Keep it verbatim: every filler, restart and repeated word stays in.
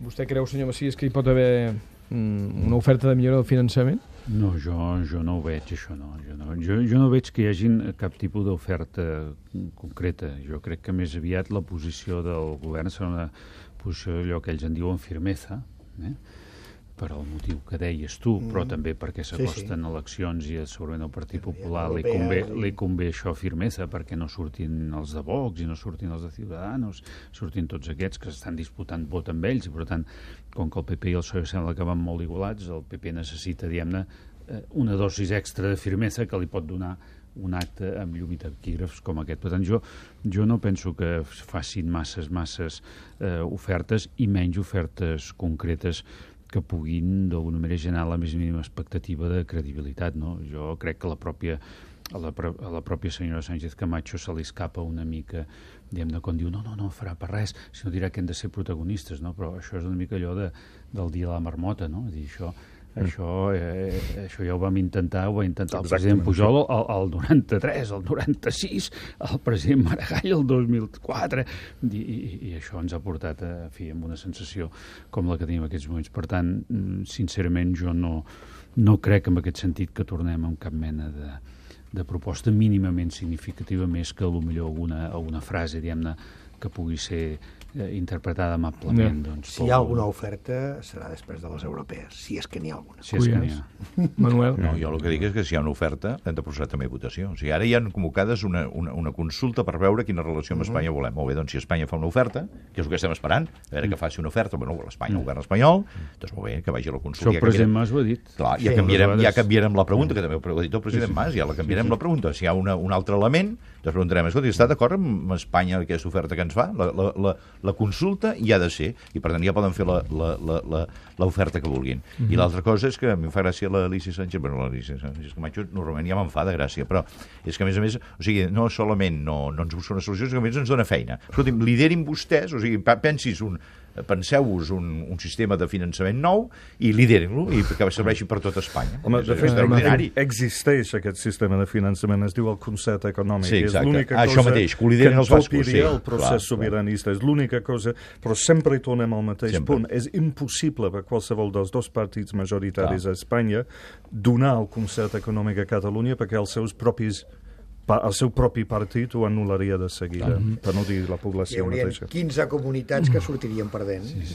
Vostè creu, senyor Macias, que hi pot haver mm, una oferta de millora del finançament? No, jo, jo no ho veig, això no. Jo no, jo, jo no veig que hi hagin cap tipus d'oferta concreta. Jo crec que més aviat la posició del govern serà una posició, allò que ells en diuen firmeza, eh? Per al motiu que deies tu, mm. però també perquè s'acosten sí, sí. eleccions i segurament al Partit Popular li convé, li convé això firmeza, perquè no surtin els de Vox i no surtin els de Ciudadanos, surtin tots aquests que estan disputant vot amb ells, i per tant, com que el P P i el P S O E sembla que van molt igualats, el P P necessita, diguem-ne, una dosis extra de firmeza que li pot donar un acte amb llum i taquígrafs com aquest. Per tant, jo, jo no penso que facin masses, masses eh, ofertes i menys ofertes concretes que puguin d'alguna manera generar la més mínima expectativa de credibilitat, no? Jo crec que la pròpia, a, la, a la pròpia senyora Sánchez Camacho se li escapa una mica, diguem-ne, quan diu no, no, no farà per res, sinó dirà que hem de ser protagonistes, no? Però això és una mica allò de, del dia de la marmota, no? És dir, això, mm. això, eh, això ja ho vam intentar, ho va intentar el president Pujol el, el noranta-tres, el noranta-sis, el president Maragall el dos mil quatre, i, i, i això ens ha portat a, a fi, amb una sensació com la que tenim en aquests moments. Per tant, sincerament, jo no, no crec en aquest sentit que tornem amb cap mena de, de proposta mínimament significativa, més que potser alguna, alguna frase, diguem-ne, que pugui ser eh, interpretada amablement. No. Doncs, si hi ha alguna oferta serà després de les europees, si és que n'hi ha alguna. Si és que n'hi ha. Manuel? No, jo el que dic és que si hi ha una oferta hem de processar també votació. O sigui, ara hi ha convocades una, una, una consulta per veure quina relació amb Espanya volem. Molt bé, doncs si Espanya fa una oferta, que és el que estem esperant, a veure que faci una oferta, bueno, l'Espanya, el govern espanyol, doncs molt bé, que vagi a la consulta. Això el president Mas ho ha dit. Clar, ja, sí, canviarem, ja canviarem la pregunta, que també ho ha dit el president Mas, ja la canviarem la pregunta. Si hi ha una, un altre element, doncs preguntarem, escolta, està d'acord amb Espanya aquesta oferta que ens fa? La, la, la, la consulta hi ha de ser, i per tant ja poden fer l'oferta que vulguin. Mm-hmm. I l'altra cosa és que a mi em fa gràcia l'Alicia Sánchez, bueno, l'Alicia Sánchez Camacho normalment ja m'enfada gràcia, però és que a més a més, o sigui, no solament no, no ens busca una solució, sinó que a més ens dona feina. Escolti'm, liderin vostès, o sigui, pensis un penseu-vos un, un sistema de finançament nou i liderin-lo i que serveixi per tot Espanya. Home, de fet, existeix aquest sistema de finançament, es diu el concert econòmic. Sí, exacte. És l'única ah, cosa això mateix, que ho liderin els bascos. Sí, el procés clar, sobiranista. Clar. És l'única cosa, però sempre hi tornem al mateix sempre. punt. És impossible per qualsevol dels dos partits majoritaris clar. a Espanya donar el concert econòmic a Catalunya perquè els seus propis el seu propi partit ho anul·laria de seguida, mm-hmm. per no dir la població hi haurien mateixa. quinze comunitats que sortirien perdent. Sí, sí.